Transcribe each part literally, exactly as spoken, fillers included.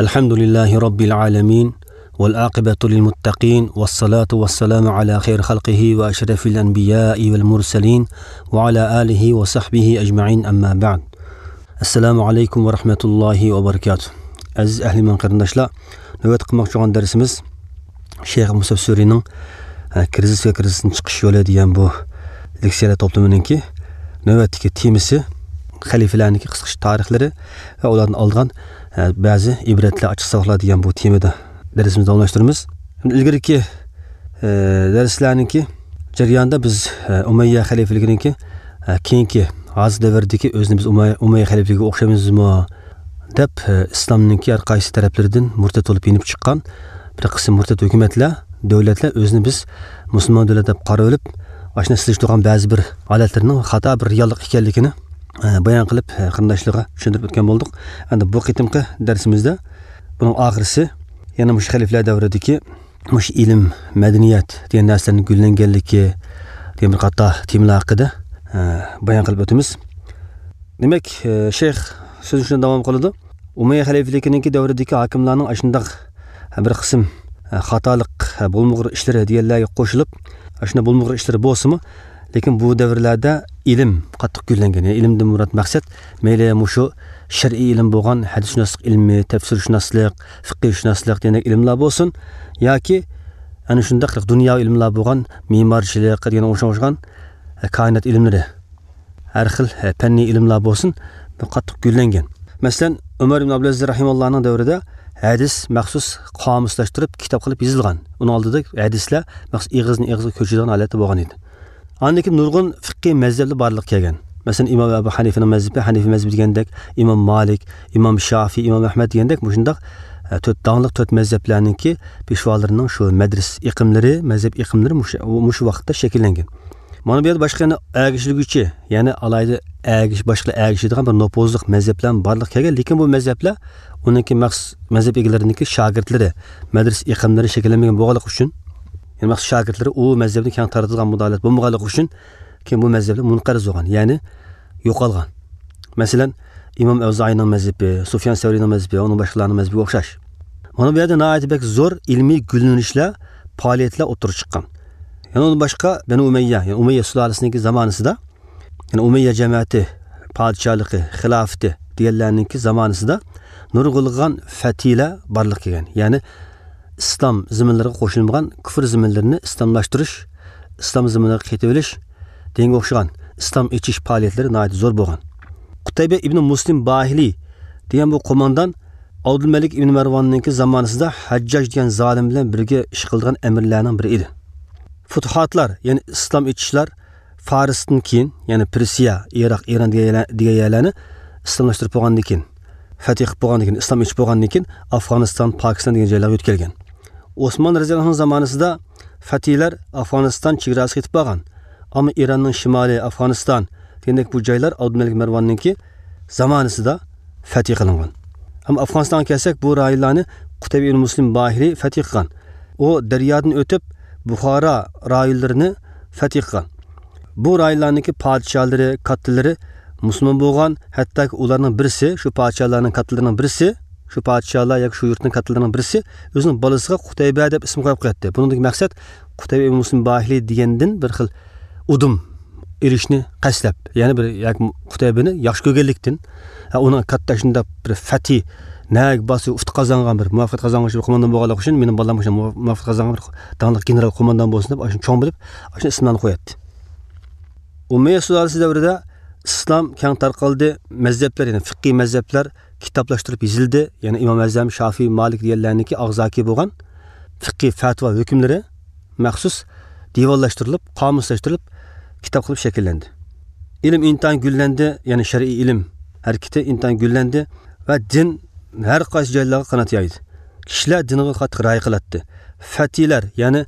الحمد لله رب العالمين، والعاقبة للمتقين، والصلاة والسلام على خير خلقه وأشرف الأنبياء والمرسلين، وعلى آله وصحبه أجمعين، أما بعد. السلام عليكم ورحمة الله وبركاته. ئەزىز ئەھلى ئىمان قېرىنداشلار، نۆۋەتتە قىلماقچى بولغان دەرسىمىز شەيخ مۇسەفسۇرىنىڭ، ئە، كىرىزىس ۋە كىرىزىستىن چىقىش يولى دېگەن بۇ لېكسىيەلەر توپلىمىنىڭكى نۆۋەتتىكى تېمىسى خەلىپىلەرنىڭكى قىسقىچە تارىخلىرى ۋە ئۇلاردىن ئالغان، ئە، بەزى ئىبرەتلەر، ئاچچىق ساۋاقلار دېگەن بۇ تېمىدا دەرسىمىزنى داۋاملاشتۇرىمىز. ئىلگىرىكى، ئە، دەرسلەرنىڭكى جەريانىدا بىز، ئە، ئۇمەييە خەلىپىلىكىنىڭكى، ئە، كېيىنكى، ھازىر دەۋردىكى ئۆزىنى بىز ئۇمەي-، ئۇمەييە خەلىپىلىكىگە ئوخشايمىزمۇ دەپ، ئە، ئىسلامنىڭكى ھەر قايسى تەرەپلىرىدىن مۇرتەت بولۇپ يېنىپ چىققان بىر قىسىم مۇرتەت ھۆكۈمەتلەر، دۆلەتلەر ئۆزىنى بىز مۇسۇلمان دۆلەت دەپ قارىۋېلىپ، ئاشۇنداق سېلىشتۇرغان بەزى بىر ھالەتلىرىنىڭ خاتا بىر رېئاللىق ئىكەنلىكىنى، ئە، بايان قىلىپ، ئە، قېرىنداشلارغا چۈشەندۈرۈپ ئۆتكەن بولدۇق. ئەمدى بۇ قېتىمقى دەرسىمىزدە بۇنىڭ ئاخىرىسى، يەنە مۇشۇ خەلىپىلەر دەۋرىدىكى مۇشۇ ئىلىم، مەدەنىيەت دېگەن نەرسىلەرنىڭ گۈللەنگەنلىكى دېگەن بىر قاتار تېمىلار ھەققىدە، ئە، بايان قىلىپ ئۆتىمىز. دېمەك، ئە، شەيخ سۆزىنى شۇنداق داۋام قىلىدۇ. ئۇمەييە خەلىپىلىكىنىڭكى دەۋرىدىكى ھاكىملارنىڭ ئاشۇنداق، ئە، بىر قىسىم، ئە، خاتالىق، ئە، بولمىغۇر ئىشلىرى دېگەنلەرگە قوشۇلۇپ، ئاشۇنداق بولمىغۇر ئىشلىرى بولسىمۇ، لېكىن بۇ دەۋرلەردە ئىلىم قاتتىق گۈللەنگەن. يەنى ئىلىمدىن مۇراد مەقسەت، مەيلى مۇشۇ شەرئىي ئىلىم بولغان ھەدىسشۇناسلىق ئىلمى، تەپسىرشۇناسلىق، فىقىھشۇناسلىق دېگەندەك ئىلىملار بولسۇن، ياكى ئەنە شۇنداق دۇنياۋى ئىلىملار بولغان مىمارچىلىق دېگەن ئوخشىغان، ئە، كائىنات ئىلىملىرى، ھەر خىل، ئە، پەننىي ئىلىملار بولسۇن، بۇ قاتتىق گۈللەنگەن. مەسىلەن، ئۆمەر ئىبن ئابدۇلئەزىز رەھىمەللانىڭ دەۋرىدە ھەدىس مەخسۇس قامۇسلاشتۇرۇپ، كىتاب قىلىپ يېزىلغان. ئۇنىڭ ئالدىدا ھەدىسلەر مەخسۇس ئېغىزدىن ئېغىزغا كۆچىدىغان ھالەتتە بولغان ئىدى. ئاندىن كېيىن نۇرغۇن فىقھىي مەزھەپلەر بارلىققا كەلگەن. مەسىلەن، ئىمام ئەبۇ ھەنىفىنىڭ مەزھىپى، ھەنىفىي مەزھىپى دېگەندەك، ئىمام مالىك، ئىمام شافىي، ئىمام ئەھمەد دېگەندەك مۇشۇنداق، ئە، تۆت داڭلىق تۆت مەزھەپلەرنىڭكى پېشۋالىرىنىڭ شۇ مەدرىسە ئېقىملىرى، مەزھەپ ئېقىملىرى مۇشۇ، مۇشۇ ۋاقىتتا شەكىللەنگەن. مانا بۇ يەردە باشقا يەنە ئەگىشىلگۈچى، يەنى ئالاھىدە ئەگىش-، باشقىلار ئەگىشىدىغان بىر نوپۇزلۇق مەزھەپلەر بارلىققا كەلگەن، لېكىن بۇ مەزھەپلەر ئۇنىڭكى مەخسۇس مەزھەپ ئىگىلىرىنىڭكى شاگىرتلىرى، مەدرىسە ئېقىملىرى شەكىللەنمىگەن بولغانلىقى ئۈچۈن، يەنى مەخسۇس شاگىرتلىرى ئۇ مەزھەپنى كەڭ تارىتىدىغان مۇداھالەت بولمىغانلىقى ئۈچۈن، كېيىن بۇ مەزھەپلەر مۇنقەرز بولغان، يەنى يوقالغان. مەسىلەن، ئىمام ئەۋزائىينىڭ مەزھىپى، سۇفيان سەۋرىينىڭ مەزھىپى، ئۇنىڭ باشقىلارنىڭ مەزھىپىگە ئوخشاش. مانا بۇ يەردە ناھايىتى بەك زور ئىلمىي گۈللىنىشلەر، پائالىيەتلەر ئوتتۇرىغا چىققان. يەنە ئۇنىڭدىن باشقا بەنۇ ئۇمەييە، يەنى ئۇمەييە سۇلالىسىنىڭكى زامانىسىدا، يەنى ئۇمەييە جەمەتى، پادىشاھلىقى، خىلاپىتى دېگەنلەرنىڭكى زامانىسىدا نۇرغۇنلىغان فەتھىيلەر بارلىققا كەلگەن. يەنى ئىسلام زېمىنلىرىغا قوشۇلمىغان كۇفر زېمىنلىرىنى ئىسلاملاشتۇرۇش، ئىسلام زېمىنىغا قېتىۋېلىش دېگەنگە ئوخشىغان ئىسلام ئېچىش پائالىيەتلىرى ناھايىتى زور بولغان. قۇتەيبە ئىبنى مۇسلىم باھىلى دېگەن بۇ قوماندان ئابدۇلمەلىك ئىبنى مەرۋاننىڭكى زامانىسىدا ھەججاج دېگەن زالىم بىلەن بىرگە ئىش قىلىدىغان ئەمىرلەرنىڭ بىرى ئىدى. فۇتۇھاتلار، يەنى ئىسلام ئېچىشلار فارستىن كېيىن، يەنى پېرسىيە، ئىراق، ئىران دېگەن يەرلەر-، دېگەن يەرلەرنى ئىسلاملاشتۇرۇپ بولغاندىن كېيىن، فەتھ قىلىپ بولغاندىن كېيىن، ئىسلام ئېچىپ بولغاندىن كېيىن، ئافغانىستان، پاكىستان دېگەن جايلارغا يۆتكەلگەن. ئوسمان رەزىياللاھۇنىڭ زامانىسىدا فەتھىيلەر ئافغانىستان چېگراسىغا يېتىپ بارغان. ئەمما ئىراننىڭ شىمالى، ئافغانىستان دېگەندەك بۇ جايلار ئابدۇمەلىك مەرۋاننىڭكى زامانىسىدا فەتھ قىلىنغان. ئەمما ئافغانىستانغا كەلسەك، بۇ رايونلارنى قۇتەيبە ئىبن مۇسلىم باھىلى فەتھ قىلغان. ئۇ دەريادىن ئۆتۈپ، بۇخارا رايونلىرىنى فەتھ قىلغان. بۇ رايونلارنىڭكى پادىشاھلىرى، كاتتىلىرى مۇسۇلمان بولغان، ھەتتاكى ئۇلارنىڭ بىرسى، شۇ پادىشاھلارنىڭ كاتتىلىرىنىڭ بىرسى، شۇ پادىشاھلار ياكى شۇ يۇرتنىڭ كاتتىلىرىنىڭ بىرسى ئۆزىنىڭ بالىسىغا قۇتەيبە دەپ ئىسىم قويۇپ قوياتتى. بۇنىڭدىكى مەقسەت قۇتەيبە ئىبن مۇسلىم باھىلى دېگەندىن بىر خىل ئۇدۇم ئېلىشنى قەستلەپ، يەنى بىر ياكى قۇتەيبىنى ياخشى كۆرگەنلىكتىن، ھە، ئۇنىڭ كاتتا شۇنداق بىر فەتھى، نەگە بارسا ئۇتۇق قازانغان بىر مۇۋەپپەقىيەت قازانغان بىر قوماندان بولغانلىقى ئۈچۈن، مېنىڭ بالام شۇ مۇۋەپپەقىيەت قازانغان بىر داڭلىق گېنېرال قوماندان بولسۇن دەپ، ئاشۇنى چوڭ بىلىپ، ئاشۇنى ئىسىملارنى قوياتتى. ئۇمەييە سۇلالىسى دەۋرىدە ئىسلام كەڭ تارقالدى، مەزھەپلەر، يەنى فىقھىي مەزھەپلەر كىتابلاشتۇرۇپ يېزىلدى، يەنى ئىمام ئەزەم، شافىي، مالىك دېگەنلەرنىڭكى ئاغزاكى بولغان فىقھىي پەتىۋا ھۆكۈملىرى مەخسۇس دىۋانلاشتۇرۇلۇپ، قامۇسلاشتۇرۇلۇپ، كىتاب قىلىپ شەكىللەندى. ئىلىم ئىنتايىن گۈللەندى، يەنى شەرئىي ئىلىم ھەرىكىتى ئىنتايىن گۈللەندى ۋە دىن ھەر قايسى جايلارغا قانات يايدى. كىشىلەر دىنغا قاتتىق رىئايە قىلاتتى. فەتھىيلەر، يەنى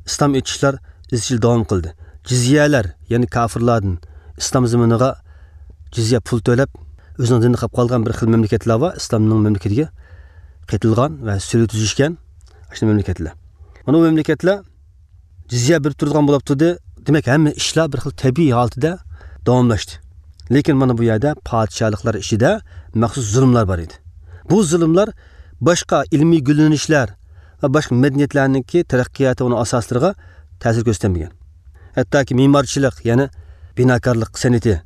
ئىسلام ئېچىشلار ئىزچىل داۋام قىلدى. جىزيەلەر، يەنى كاپىرلاردىن ئىسلام زېمىنىغا جىزيە پۇل تۆلەپ، ئۆزىنىڭ دىنىدا قېلىپ قالغان بىر خىل مەملىكەتلەر بار، ئىسلامنىڭ مەملىكىتىگە قېتىلغان ۋە سۈلھە تۈزۈشكەن ئاشۇ مەملىكەتلەر. مانا بۇ مەملىكەتلەر جىزيە بېرىپ تۇرىدىغان بولۇپ تۇردى. دېمەك، ھەممە ئىشلار بىر خىل تەبىئىي ھالىتىدە داۋاملاشتى. لېكىن مانا بۇ يەردە پادىشاھلىقلار ئىچىدە مەخسۇس زۇلۇملار بار ئىدى. بۇ زۇلۇملار باشقا ئىلمىي گۈللىنىشلەر ۋە باشقا مەدەنىيەتلەرنىڭكى تەرەققىياتى ئۇنىڭ ئاساسلىرىغا تەسىر كۆرسىتەلمىگەن. ھەتتاكى مېمارچىلىق، يەنى بىناكارلىق سەنئىتى،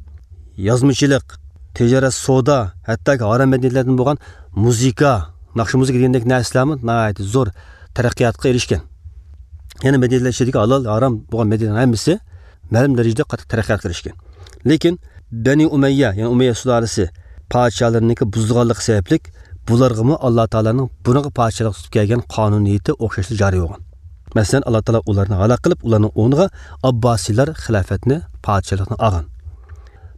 يازمىچىلىق، تىجارەت، سودا، ھەتتاكى ھارام مەدەنىيەتلەردىن بولغان مۇزىكا، ناخشا مۇزىكا دېگەندەك نەرسىلەرمۇ ناھايىتى زور تەرەققىياتقا ئېرىشكەن. يەنە مەدەنىيەتلەر ئىچىدىكى ھالال، ھارام بولغان مەدەنىيەتلەرنىڭ ھەممىسى مەلۇم دەرىجىدە قاتتىق تەرەققىياتقا ئېرىشكەن. لېكىن بەنى ئۇمەييە، يەنى ئۇمەييە سۇلالىسى پادىشاھلىرىنىڭكى بۇزۇلغانلىقى سەۋەبلىك، بۇلارغىمۇ ئاللا تائالانىڭ بۇرۇنقى پادىشاھلىق تۇتۇپ كەلگەن قانۇنىيىتى ئوخشاشلا جارى بولغان. مەسىلەن، ئاللا تائالا ئۇلارنى ھالاك قىلىپ، ئۇلارنىڭ ئورنىغا ئابباسىيلار خىلاپەتنى، پادىشاھلىقنى ئالغان.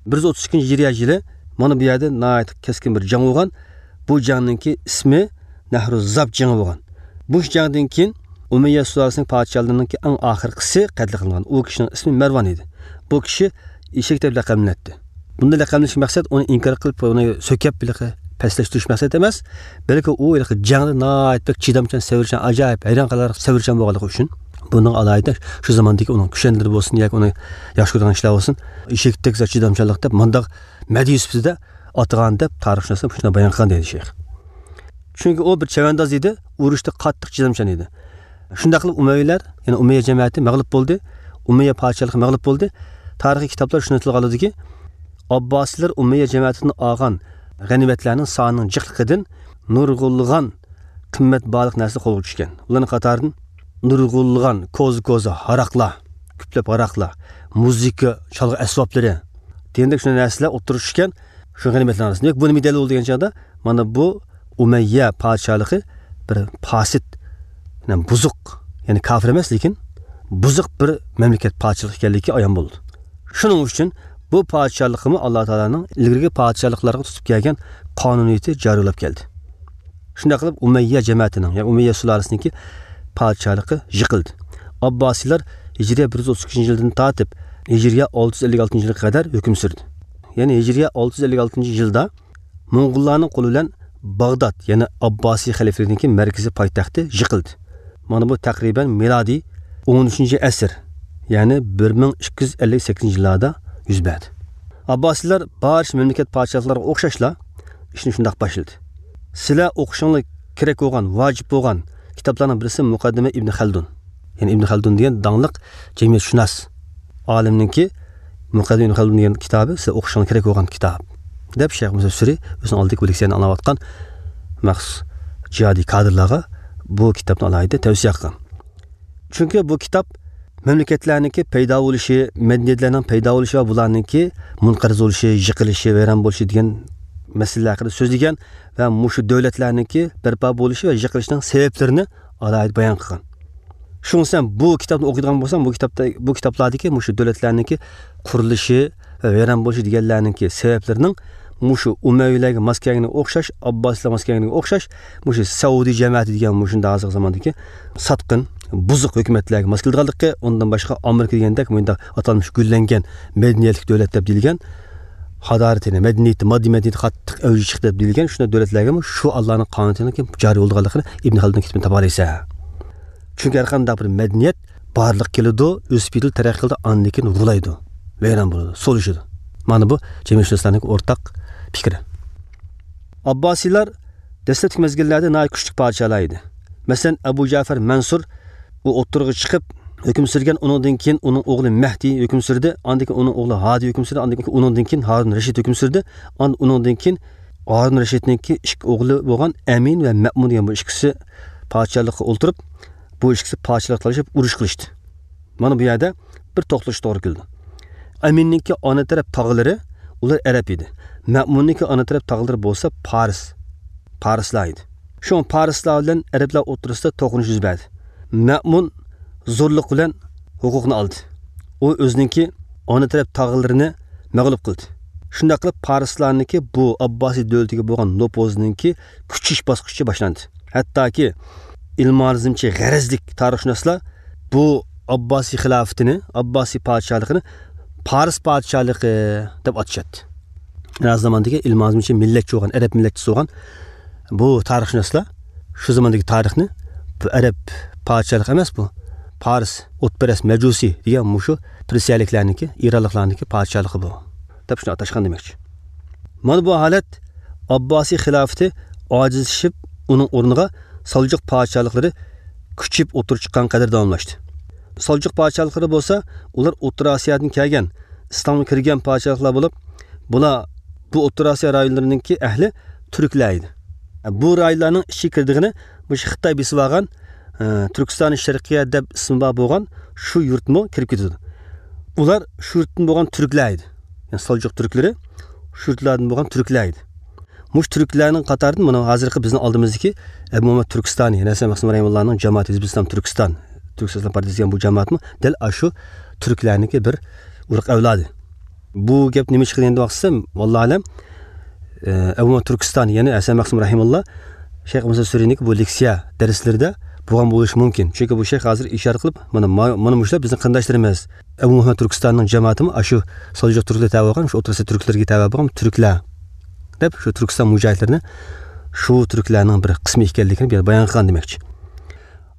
بىر يۈز ئوتتۇز ئىككىنچى ھىجرىيە يىلى مانا بۇ يەردە ناھايىتى كەسكىن بىر جەڭ بولغان. بۇ جەڭنىڭكى ئىسمى نەھرۇ زاب جېڭى بولغان. بۇ جەڭدىن كېيىن ئۇمەييە سۇلالىسىنىڭ پادىشاھلىرىنىڭكى ئەڭ ئاخىرقىسى قەتل قىلىنغان. ئۇ كىشىنىڭ ئىسمى مەرۋان ئىدى. بۇ كىشى ئېشەك دەپ لەقەملىنەتتى. بۇنداق لەقەملىنىش مەقسەت ئۇنى ئىنكار قىلىپ، ئۇنى سۆكەپ، ھېلىقى پەسلەشتۈرۈش مەقسەت ئەمەس، بەلكى ئۇ ھېلىقى جەڭدە ناھايىتى بەك چىدامچان، سەۋرچان، ئاجايىپ ھەيران قالارلىق سەۋرچان بولغانلىقى ئۈچۈن. بۇنىڭ ئالاھىدە شۇ زاماندىكى ئۇنىڭ كۈشەندىلىرى بولسۇن ياكى ئۇنى ياخشى كۆرىدىغان كىشىلەر بولسۇن، ئېشەكتەك زادى چىدامچانلىق دەپ مۇنداق مەدھىيە سۈپىتىدە ئاتىغان دەپ تارىخشۇناسلار شۇنداق بايان قىلغان دەيدۇ شەيخ. چۈنكى ئۇ بىر چەۋەنداز ئىدى، ئۇرۇشتا قاتتىق چىدامچان ئىدى. شۇنداق قىلىپ ئۇمەۋىيلەر، يەنى ئۇمەييە جەمەتى مەغلۇپ بولدى. ئۇمەييە پادىشاھلىقى مەغلۇپ بولدى. تارىخىي كىتابلار شۇنى تىلغا ئالىدۇكى، ئابباسىيلار ئۇمەييە جەمەتىدىن ئالغان غەنىيمەتلەرنىڭ سانىنىڭ جىقلىقىدىن نۇرغۇنلىغان قىممەت باھالىق نەرسىلەر قولغا چۈشكەن. ئۇلارنىڭ قاتارىدىن نۇرغۇنلىغان كوزا-كوزا ھاراقلار، كۆپلەپ ھاراقلار، مۇزىكا، چالغۇ ئەسۋابلىرى دېگەندەك شۇنداق نەرسىلەر ئوتتۇرىغا چۈشكەن. شۇ غەنىيمەتلەرنىڭ ئارىسىدا. دېمەك، بۇ نېمە دەلىل بولىدۇ دېگەن چاغدا، مانا بۇ ئۇمەييە پادىشاھلىقى بىر پاسىت، يەنى بۇزۇق، يەنى كاپىر ئەمەس، لېكىن بۇزۇق بىر مەملىكەت پادىشاھلىقى ئىكەنلىكى ئايان بولىدۇ. شۇنىڭ ئۈچۈن بۇ پادىشاھلىقىمۇ ئاللا تائالانىڭ ئىلگىرىكى پادىشاھلىقلارغا تۇتۇپ كەلگەن قانۇنىيىتى جارى بولاپ كەلدى. شۇنداق قىلىپ ئۇمەييە جەمەتىنىڭ، يەنى ئۇمەييە سۇلالىسىنىڭكى پادىشاھلىقى يىقىلدى. ئابباسىيلار ھىجرىيە بىر يۈز ئوتتۇز ئىككىنچى يىلدىن تارتىپ ھىجرىيە ئالتە يۈز ئەللىك ئالتىنچى يىلغا قەدەر ھۆكۈم سۈردى. يەنى ھىجرىيە ئالتە يۈز ئەللىك ئالتىنچى يىلدا موڭغۇللارنىڭ قولى بىلەن باغداد، يەنى ئابباسىي خەلىپىلىكىنىڭكى مەركىزىي پايتەختى يىقىلدى. مانا بۇ تەقرىبەن مىلادىي ئون ئۈچىنچى ئەسىر، يەنى بىر مىڭ ئىككى يۈز ئەللىك سەككىزىنچى يىللاردا يۈز بەردى. ئابباسىيلار بارچە مەملىكەت پادىشاھلىرىغا ئوخشاشلا ئىشنى شۇنداق باشلىدى. سىلەر ئوقۇشۇڭلار كېرەك بولغان، ۋاجىپ بولغان كىتابلارنىڭ بىرسى مۇقەددىمە ئىبن خەلدۇن. يەنى ئىبن خەلدۇن دېگەن داڭلىق جەمئىيەتشۇناس ئالىمنىڭكى مۇقەددىمە ئىبن خەلدۇن دېگەن كىتابى سىلەر ئوقۇشۇڭلار كېرەك بولغان كىتاب، دەپ شەيخ مۇسەفسىرى ئۆزىنىڭ ئالدىدىكى بۆلەكچىلەرنى ئاڭلاۋاتقان مەخسۇس جىھادىي كادىرلارغا بۇ كىتابنى ئالاھىدە تەۋسىيە قىلغان. چۈنكى بۇ كىتاب مەملىكەتلەرنىڭكى پەيدا بولۇشى، مەدەنىيەتلەرنىڭ پەيدا بولۇشى ۋە بۇلارنىڭكى مۇنقەرز بولۇشى، يىقىلىشى، ۋەيران بولۇشى دېگەن مەسىلىلەر ھەققىدە سۆزلىگەن ۋە مۇشۇ دۆلەتلەرنىڭكى بەرپا بولۇشى ۋە يىقىلىشىنىڭ سەۋەبلىرىنى ئالاھىدە بايان قىلغان. شۇڭا سەن بۇ كىتابنى ئوقۇيدىغان بولساڭ، بۇ كىتابتا، بۇ كىتابلاردىكى مۇشۇ دۆلەتلەرنىڭكى قۇرۇلۇشى ۋە ۋەيران بولۇشى دېگەنلەرنىڭكى سەۋەبلىرىنىڭ مۇشۇ ئۇمەۋىيلەرگە ماس كەلگىنىگە ئوخشاش، ئابباسىيلارغا ماس كەلگىنىگە ئوخشاش، مۇشۇ سەئۇدى جەمەتى دېگەن مۇشۇنداق ھازىرقى زاماندىكى ساتقىن، بۇزۇق ھۆكۈمەتلەرگە ماس كېلىدىغانلىقى، ئۇندىن باشقا ئامېرىكا دېگەندەك مۇنداق ئاتالمىش گۈللەنگەن مەدەنىيەتلىك دۆلەت دەپ دېيىلگەن، ھادارىتى، مەدەنىيىتى، ماددىي مەدەنىيىتى قاتتىق ئەۋجىگە چىقتى دەپ دېيىلگەن شۇنداق دۆلەتلەرگىمۇ شۇ ئاللانىڭ قانۇنىيىتىنىڭ جارى بولىدىغانلىقىنى ئىبن خەلدۇن كىتابىدىن تاپالايسەن. چۈنكى ھەر قانداق بىر مەدەنىيەت بارلىققا كېلىدۇ، ئۆسۈپ يېتىلىدۇ، تەرەققىي قىلىدۇ، ئاندىن كېيىن غۇلايدۇ، ۋەيران بولىدۇ، سولىشىدۇ. مانا بۇ جەمئىيەتشۇناسلارنىڭ ئورتاق پىكرى. ئابباسىيلار دەسلەپكى مەزگىللەردە ناھايىتى كۈچلۈك پادىشاھلار ئىدى. مەسىلەن، ئەبۇ جەفەر مەنسۇر ئۇ ئوتتۇرىغا چىقىپ ھۆكۈم سۈرگەن، ئۇنىڭدىن كېيىن ئۇنىڭ ئوغلى مەھدى ھۆكۈم سۈردى، ئاندىن كېيىن ئۇنىڭ ئوغلى ھادى ھۆكۈم سۈردى، ئاندىن كېيىن ئۇنىڭدىن كېيىن ھارۇن رەشىد ھۆكۈم سۈردى، ئاندىن ئۇنىڭدىن كېيىن ھارۇن رەشىدنىڭكى ئىككى ئوغلى بولغان ئەمىن ۋە مەمۇن دېگەن بۇ ئىككىسى پادىشاھلىققا ئولتۇرۇپ، بۇ ئىككىسى پادىشاھلىق تالىشىپ ئۇرۇش قىلىشتى. مانا بۇ يەردە بىر توختىلىش توغرا كېلىدۇ. ئەمىننىڭكى ئانا تەرەپ تاغىلىرى، ئۇلار ئەرەب ئىدى. مەمۇننىڭكى ئانا تەرەپ تاغىلىرى بولسا پارس، پارسلار ئىدى. شۇڭا پارسلار بىلەن ئەرەبلەر ئوتتۇرىسىدا توقۇنۇش يۈز بەردى. مەمۇن زورلۇق بىلەن ھوقۇقنى ئالدى. ئۇ ئۆزىنىڭكى ئانا تەرەپ تاغىلىرىنى مەغلۇپ قىلدى. شۇنداق قىلىپ پارسلارنىڭكى بۇ ئابباسىي دۆلىتىگە بولغان نوپۇزىنىڭكى كۈچىيىش باسقۇچى باشلاندى. ھەتتاكى ئىلمانىزمچى غەرەزلىك تارىخشۇناسلار بۇ ئابباسىي خىلاپىتىنى، ئابباسىي پادىشاھلىقىنى پارس پادىشاھلىقى دەپ ئاتىشاتتى. ھازىر زاماندىكى ئىلمانىزمچى مىللەتچى بولغان، ئەرەب مىللەتچىسى بولغان بۇ تارىخشۇناسلار شۇ زاماندىكى تارىخنى بۇ ئەرەب پادىشاھلىقى ئەمەس، بۇ پارس ئوتپەرەس مەجۇسىي دېگەن مۇشۇ پېرسىيەلىكلەرنىڭكى، ئىرانلىقلارنىڭكى پادىشاھلىقى بۇ دەپ شۇنى ئاتاشقان دېمەكچى. مانا بۇ ھالەت ئابباسىي خىلاپىتى ئاجىزلىشىپ، ئۇنىڭ ئورنىغا سالجۇق پادىشاھلىقلىرى كۈچىيىپ ئوتتۇرىغا چىققان قەدەر داۋاملاشتى. سالجۇق پادىشاھلىقلىرى بولسا، ئۇلار ئوتتۇرا ئاسىيادىن كەلگەن، ئىسلامغا كىرگەن پادىشاھلىقلار بولۇپ، بۇلار، بۇ ئوتتۇرا ئاسىيا رايونلىرىنىڭكى ئەھلى تۈركلەر ئىدى. بۇ رايونلارنىڭ ئىچىگە كىرىدىغىنى مۇشۇ خىتاي بېسىۋالغان، ئە، تۈركىستان شەرقىيە دەپ ئىسمى بار بولغان شۇ يۇرتمۇ كىرىپ كېتىدۇ. ئۇلار شۇ يۇرتتىن بولغان تۈركلەر ئىدى. يەنى سالجۇق تۈركلىرى شۇ يۇرتلاردىن بولغان تۈركلەر ئىدى. مۇشۇ تۈركلەرنىڭ قاتارىدىن مانا ھازىرقى بىزنىڭ ئالدىمىزدىكى ئەبۇ مۇھەممەد تۈركىستانى، يەنى ھەسەن مەخسۇم رەھىمۇللانىڭ جامائىتى ھىزبۇل ئىسلام تۈركىستان، تۈرك سىياسىي پارتىيىسى دېگەن بۇ جامائەتمۇ دەل ئاشۇ تۈركلەرنىڭكى بىر ئۇرۇق ئەۋلادى. بۇ گەپ نېمە ئىشقا دېگەندە ۋاقىتسىز، ۋاللاھۇ ئەلەم، ئە، ئەبۇ مۇھەممەد تۈركىستانى، يەنى ھەسەن مەخسۇم رەھىمۇللا شەيخ مۇسا سۈرىنىڭكى بۇ لېكسىيە دەرسلىرىدە بولغان بولۇشى مۇمكىن. چۈنكى بۇ شەيخ ھازىر ئىشارە قىلىپ، مانا، ما-، مانا مۇشۇلار بىزنىڭ قېرىنداشلىرىمىز. ئەبۇ مۇھەممەد تۈركىستاننىڭ جامائىتىمۇ ئاشۇ سالجۇق تۈركلىرى تەۋە بولغان، شۇ ئوتتۇرا ئاسىيا تۈركلىرىگە تەۋە بولغان تۈركلەر، دەپ شۇ تۈركىستان مۇجاھىدلىرىنى شۇ تۈركلەرنىڭ بىر قىسمى ئىكەنلىكىنى بۇ يەردە بايان قىلغان دېمەكچى.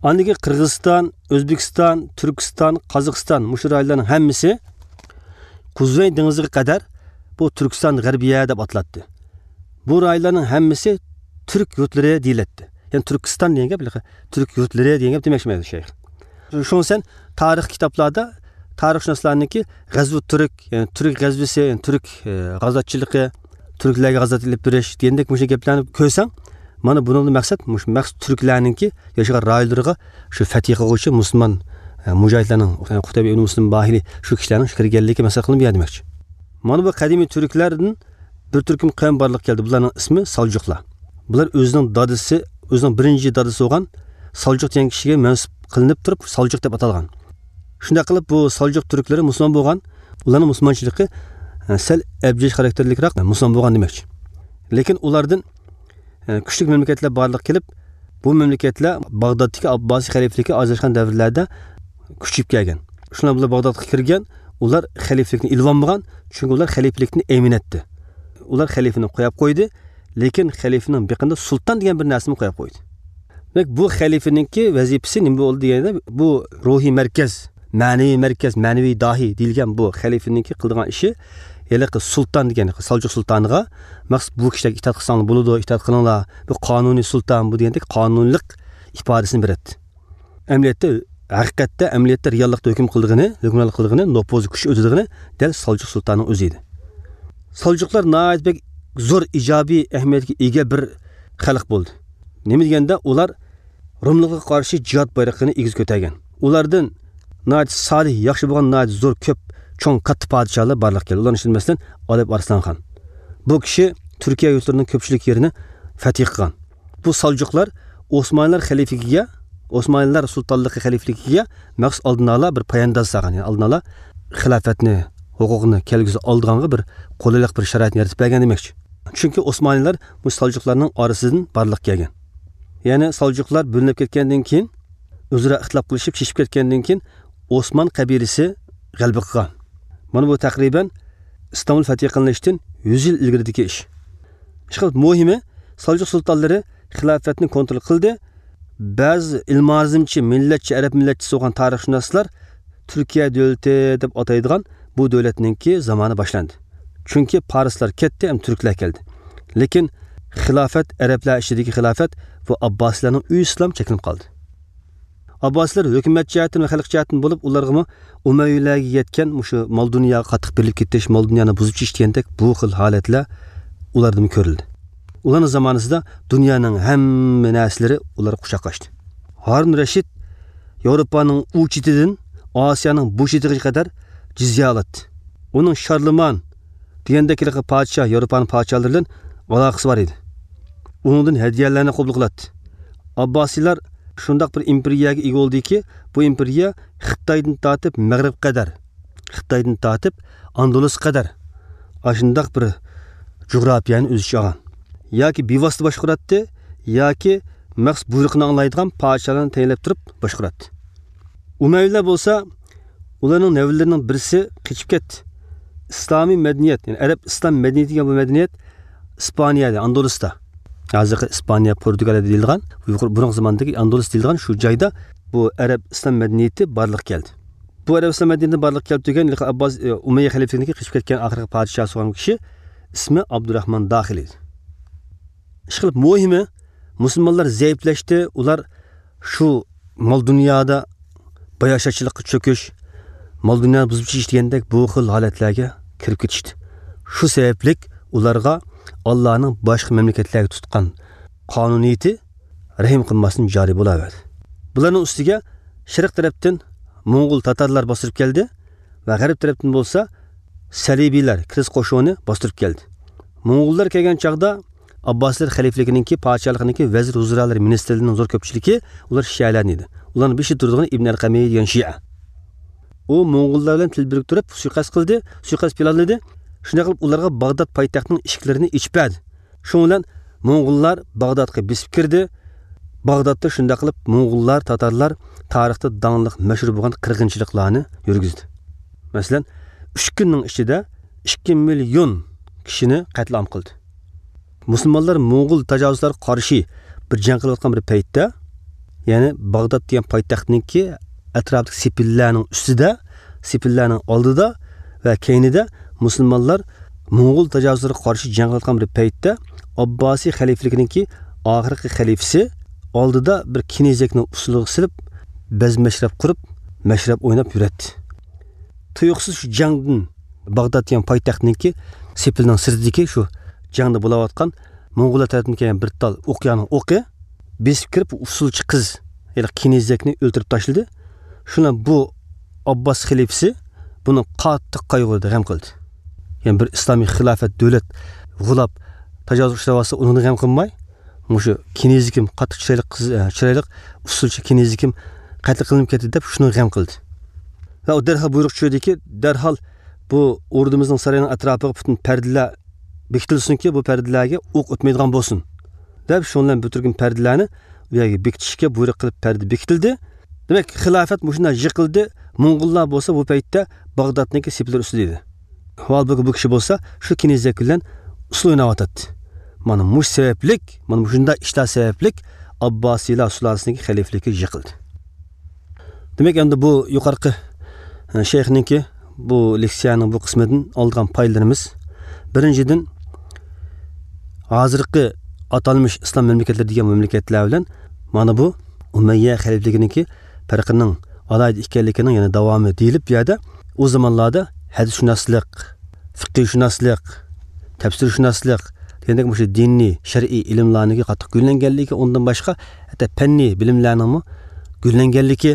ئاندىن كېيىن قىرغىزىستان، ئۆزبېكىستان، تۈركىستان، قازاقىستان، مۇشۇ رايونلارنىڭ ھەممىسى قۇزغۇن دېڭىزىغا قەدەر بۇ تۈركىستان غەربىيە دەپ ئاتىلاتتى. بۇ رايونلارنىڭ ھەممىسى تۈرك يۇرتلىرى دېيىلەتتى. يەنى تۈركىستان دېگەن گەپ، تۈرك يۇرتلىرى دېگەن گەپ دېمەكچى ئەمەس شەيخ. شۇڭا سەن تارىخ كىتابلاردا تارىخشۇناسلارنىڭكى غەزۋۇ تۈرك، يەنى تۈرك غەزۋىسى، يەنى تۈرك، ئە، غازاتچىلىقى، تۈركلەرگە غازات ئېلىپ بېرىش دېگەندەك مۇشۇ گەپلەرنى كۆرسەڭ، مانا بۇنىڭدىن مەقسەت مۇشۇ مەخسۇس تۈركلەرنىڭكى ياشىغان رايونلىرىغا شۇ فەتھى قىلغۇچى مۇسۇلمان، ئە، مۇجاھىدلارنىڭ، ئە، قۇتەيبە ئىبن مۇسلىم باھىلى شۇ كىشىلەرنىڭ شۇ كىرگەنلىكى مەسەل قىلىنىپ يەر دېمەكچى. مانا بۇ قەدىمىي تۈركلەردىن بىر تۈركۈم قەۋم بارلىققا كەلدى. بۇلارنىڭ ئىسمى سالجۇقلار. بۇلار ئۆزىنىڭ دادىسى، ئۆزىنىڭ بىرىنچى دادىسى بولغان سالجۇق دېگەن كىشىگە مەنسۇپ قىلىنىپ تۇرۇپ، سالجۇق دەپ ئاتالغان. شۇنداق قىلىپ، بۇ سالجۇق تۈركلىرى مۇسۇلمان بولغان. ئۇلارنىڭ مۇسۇلمانچىلىقى، ئە، سەل ئەبجەش خاراكتېرلىكراق مۇسۇلمان بولغان دېمەكچى. لېكىن ئۇلاردىن، ئە، كۈچلۈك مەملىكەتلەر بارلىققا كېلىپ، بۇ مەملىكەتلەر باغدادتىكى ئابباسىي خەلىپىلىكى ئاجراشقان دەۋرلەردە كۈچىيىپ كەلگەن. شۇنداق بىلەن باغدادقا كىرگەن، ئۇلار خەلىپىلىكنى ئېلىۋالمىغان، چۈنكى ئۇلار خەلىپىلىكنى ئەيمىنەتتى. ئۇلار خەلىپىنى قويۇپ قويدى، لېكىن خەلىپىنىڭ بېقىنىدا سۇلتان دېگەن بىر نەرسىنى قويۇپ قويدى. دېمەك، بۇ خەلىپىنىڭكى ۋەزىپىسى نېمە بولدى دېگەندە، بۇ روھىي مەركەز، مەنىۋى مەركەز، مەنىۋى داھىي دېيىلگەن بۇ خەلىپىنىڭكى قىلىدىغان ئىشى، ھېلىقى سۇلتان دېگەن سالجۇق سۇلتانىغا مەخسۇس بۇ كىشىلەرگە ئىتائەت قىلساڭلار بولىدۇ، ئىتائەت قىلىڭلار، بۇ قانۇنىي سۇلتان بۇ دېگەندەك قانۇنلۇق ئىپادىسىنى بېرەتتى. ئەمەلىيەتتە، ھەقىقەتتە، ئەمەلىيەتتە رېئاللىقتا ھۆكۈم قىلىدىغىنى، ھۆكۈمرانلىق قىلىدىغىنى، نوپۇزى كۈچ ئۆتىدىغىنى دەل سالجۇق سۇلتانىنىڭ ئۆزى ئىدى. سالجۇقلار ناھايىتى بەك زور ئىجابىي ئەھمىيەتكە ئىگە بىر خەلق بولدى. نېمە دېگەندە، ئۇلار روملۇققا قارشى جىھاد بايرىقىنى ئېگىز كۆتەرگەن. ئۇلاردىن ناھايىتى سالىھ، ياخشى بولغان، ناھايىتى زور، كۆپ، چوڭ، كاتتا پادىشاھلار بارلىققا كەلدى. ئۇلارنىڭ ئىچىدە، مەسىلەن، ئالپ ئارسلان خان. بۇ كىشى تۈركىيە يۇرتلىرىنىڭ كۆپچىلىك يېرىنى فەتھى قىلغان. بۇ سالجۇقلار ئوسمانلىلار خەلىپىلىكىگە، ئوسمانلىلار سۇلتانلىقى خەلىپىلىكىگە مەخسۇس ئالدىن ئالا بىر پايانداز سالغان. يەنى ئالدىن ئالا خىلاپەتنى، ھوقۇقنى كەلگۈسىدە ئالىدىغانغا بىر قولايلىق، بىر شارائىتنى يارىتىپ بەرگەن دېمەكچى. چۈنكى ئوسمانلىلار مۇشۇ سالجۇقلارنىڭ ئارىسىدىن بارلىققا كەلگەن. يەنى سالجۇقلار بۆلۈنۈپ كەتكەندىن كېيىن، ئۆزئارا ئىختىلاپ قىلىشىپ، چېچىپ كەتكەندىن كېيىن، ئوسمان قەبىلىسى غەلىبە قىلغان. مانا بۇ تەقرىبەن ئىستانبۇل فەتھى قىلىنىشتىن يۈز يىل ئىلگىرىدىكى ئىش. ئىشقىلىپ، مۇھىمى، سالجۇق سۇلتانلىرى خىلاپەتنى كونترول قىلدى. بەزى ئىلمانىزمچى، مىللەتچى، ئەرەب مىللەتچىسى بولغان تارىخشۇناسلار تۈركىيە دۆلىتى دەپ ئاتايدىغان بۇ دۆلەتنىڭكى زامانى باشلاندى. چۈنكى پارسلار كەتتى ھەم تۈركلەر كەلدى. لېكىن خىلاپەت، ئەرەبلەر ئىچىدىكى خىلاپەت بۇ ئابباسىيلارنىڭ ئۆيىسىدىلا چەكلىنىپ قالدى. ئابباسىيلار ھۆكۈمەت جەھەتتىن ۋە خەلق جەھەتتىن بولۇپ، ئۇلارغىمۇ ئۇمەۋىيلەرگە يەتكەن مۇشۇ مال-دۇنياغا قاتتىق بېرىلىپ كېتىش، مال-دۇنيانى بۇزۇپ چېچىش دېگەندەك بۇ خىل ھالەتلەر ئۇلاردىمۇ كۆرۈلدى. ئۇلارنىڭ زامانىسىدا دۇنيانىڭ ھەممە نەرسىلىرى ئۇلارغا قۇچاقلاشتى. ھارۇن رەشىد ياۋروپانىڭ ئۇ چېتىدىن ئاسىيانىڭ بۇ چېتىگىچە قەدەر جىزيە ئالاتتى. ئۇنىڭ شارلىمان دېگەندەك ھېلىقى پادىشاھ، ياۋروپانىڭ پادىشاھلىرى بىلەن ئالاقىسى بار ئىدى. ئۇنىڭدىن ھەدىيەلەرنى قوبۇل قىلاتتى. ئابباسىيلار شۇنداق بىر ئىمپېرىيەگە ئىگە بولدىكى، بۇ ئىمپېرىيە خىتايدىن تارتىپ مەغرىبقە قەدەر، خىتايدىن تارتىپ ئاندۇلۇسقا قەدەر ئاشۇنداق بىر جۇغراپىيەنى ئۆز ئىچىگە ئالغان. ياكى بىۋاسىتە باشقۇراتتى، ياكى مەخسۇس بۇيرۇقىنى ئاڭلايدىغان پادىشاھلارنى تەيىنلەپ تۇرۇپ باشقۇراتتى. ئۇمەۋىيلەر بولسا، ئۇلارنىڭ نەۋرىلىرىنىڭ بىرسى قېچىپ كەتتى. ئىسلامىي مەدەنىيەت، يەنى ئەرەب ئىسلام مەدەنىيىتى دېگەن بۇ مەدەنىيەت ئىسپانىيەدە، ئاندۇلۇستا، ھازىرقى ئىسپانىيە، پورتۇگالىيە دېيىلىدىغان، يۇقىرى، بۇرۇنقى زاماندىكى ئاندۇلۇس دېيىلىدىغان شۇ جايدا بۇ ئەرەب ئىسلام مەدەنىيىتى بارلىققا كەلدى. بۇ ئەرەب ئىسلام مەدەنىيىتى بارلىققا كەلدى دېگەن، ئابباس، ئۇمەييە خەلىپىلىكىدىكى قېچىپ كەتكەن ئاخىرقى پادىشاھ بولغان كىشى ئىسمى ئابدۇراخمان داخىل ئىدى. ئىشقىلىپ، مۇھىمى، مۇسۇلمانلار زەئىپلەشتى، ئۇلار شۇ مال دۇنيادا باياشاتچىلىققا چۆكۈش، مال دۇنيانى بۇزۇپ چېچىش دېگەندەك بۇ خىل ھالەتلەرگە كىرىپ كېتىشتى. شۇ سەۋەبلىك ئۇلارغا ئاللانىڭ باشقا مەملىكەتلەرگە تۇتقان قانۇنىيىتى رەھىم قىلماستىن جارى بولاۋەردى. بۇلارنىڭ ئۈستىگە شەرق تەرەپتىن موڭغۇل تاتارلار باستۇرۇپ كەلدى ۋە غەرب تەرەپتىن بولسا سەلىبىيلەر، كىرىس قوشۇنى باستۇرۇپ كەلدى. موڭغۇللار كەلگەن چاغدا ئابباسىلەر خەلىپىلىكىنىڭكى، پادىشاھلىقىنىڭكى ۋەزىر ۋۇزرالىرى، مىنىستىرلىرىنىڭ زور كۆپچىلىكى ئۇلار شىئەلەر ئىدى. ئۇلارنىڭ بېشىدا تۇرىدىغىنى ئىبن ئەلقەمى دېگەن شىئە. ئۇ موڭغۇللار بىلەن تىل بىرىكتۈرۈپ سۇيىقەست قىلدى، سۇيىقەست پىلانلىدى. شۇنداق قىلىپ ئۇلارغا باغداد پايتەختىنىڭ ئىشىكلىرىنى ئېچىپ بەردى. شۇنىڭ بىلەن موڭغۇللار باغدادقا بېسىپ كىردى. باغدادتا شۇنداق قىلىپ موڭغۇللار، تاتارلار تارىختا داڭلىق، مەشھۇر بولغان قىرغىنچىلىقلارنى يۈرگۈزدى. مەسىلەن، ئۈچ كۈننىڭ ئىچىدە ئىككى مىليون كىشىنى قەتلىئام قىلدى. مۇسۇلمانلار موڭغۇل تاجاۋۇزچىلارغا قارشى بىر جەڭ قىلىۋاتقان بىر پەيتتە، يەنى باغداد دېگەن پايتەختنىڭكى ئەتراپىدىكى سېپىللەرنىڭ ئۈستىدە، سېپىللەرنىڭ ئالدىدا ۋە كەينىدە مۇسۇلمانلار موڭغۇل تاجاۋۇزچىلىرىغا قارشى جەڭ قىلىۋاتقان بىر پەيتتە، ئابباسىي خەلىپىلىكىنىڭكى ئاخىرقى خەلىپىسى ئالدىدا بىر كېنىزەكنى ئۇسسۇلغا سېلىپ، بەز مەشرەپ قۇرۇپ، مەشرەپ ئويناپ يۈرەتتى. تۇيۇقسىز شۇ جەڭدىن، باغداد دېگەن پايتەختنىڭكى سېپىلنىڭ سىرتىدىكى شۇ جەڭدە بولاۋاتقان موڭغۇللار تەرىپىدىن كەلگەن بىر تال ئوقيانىڭ ئوقى بېسىپ كىرىپ، ئۇسسۇلچى قىز، يەنى كېنىزەكنى ئۆلتۈرۈپ تاشلىدى. شۇنىڭ بۇ ئابباس خەلىپىسى بۇنى قاتتىق قايغۇردى، غەم قىلدى. يەنى بىر ئىسلامىي خىلاپەت دۆلەت غۇلاپ تاجاۋۇزغا ئۇچراۋاتسا، ئۇنىڭدىن غەم قىلماي، مۇشۇ كېنىزىكىم، قاتتىق چىرايلىق قىز، ئە، چىرايلىق ئۇسسۇلچى كېنىزىكىم قەتل قىلىنىپ كەتتى دەپ شۇنىڭغا غەم قىلدى. ۋە ئۇ دەرھال بۇيرۇق چۈشۈردىكى، دەرھال بۇ ئوردىمىزنىڭ سارىيىنىڭ ئەتراپىغا پۈتۈن پەردىلەر بېكىتىلسۇنكى، بۇ پەردىلەرگە ئوق ئۆتمەيدىغان بولسۇن دەپ، شۇنىڭ بىلەن بىر تۈركۈم پەردىلەرنى ئۇ يەرگە بېكىتىشكە بۇيرۇق قىلىپ، پەردە بېكىتىلدى. دېمەك، خىلاپەت مۇشۇنداق يىقىلدى. موڭغۇللار بولسا بۇ پەيتتە باغدادنىڭكى سېپىلىرى ئۈستىدە ئىدى. ھالبۇكى، بۇ كىشى بولسا شۇ كېنىزەك بىلەن ئۇسسۇل ئويناۋاتاتتى. مانا مۇشۇ سەۋەبلىك، مانا مۇشۇنداق ئىشلار سەۋەبلىك ئابباسىيلار سۇلالىسىنىڭكى خەلىپىلىكى يىقىلدى. دېمەك، ئەمدى بۇ يۇقىرىقى، ئە، شەيخنىڭكى بۇ لېكسىيەنىڭ بۇ قىسمىدىن ئالىدىغان پايدىلىرىمىز، بىرىنچىدىن، ھازىرقى ئاتالمىش ئىسلام مەملىكەتلىرى دېگەن مەملىكەتلەر بىلەن مانا بۇ ئۇمەييە خەلىپىلىكىنىڭكى پەرقىنىڭ ئالاھىدە ئىكەنلىكىنىڭ يەنە داۋامى دېيىلىپ، بۇ يەردە ئۇ زامانلاردا ھەدىسشۇناسلىق، فىقىھشۇناسلىق، تەپسىرشۇناسلىق دېگەندەك مۇشۇ دىنىي، شەرئىي ئىلىملارنىڭكى قاتتىق گۈللەنگەنلىكى، ئۇنىڭدىن باشقا ھەتتا پەننىي بىلىملەرنىڭمۇ گۈللەنگەنلىكى،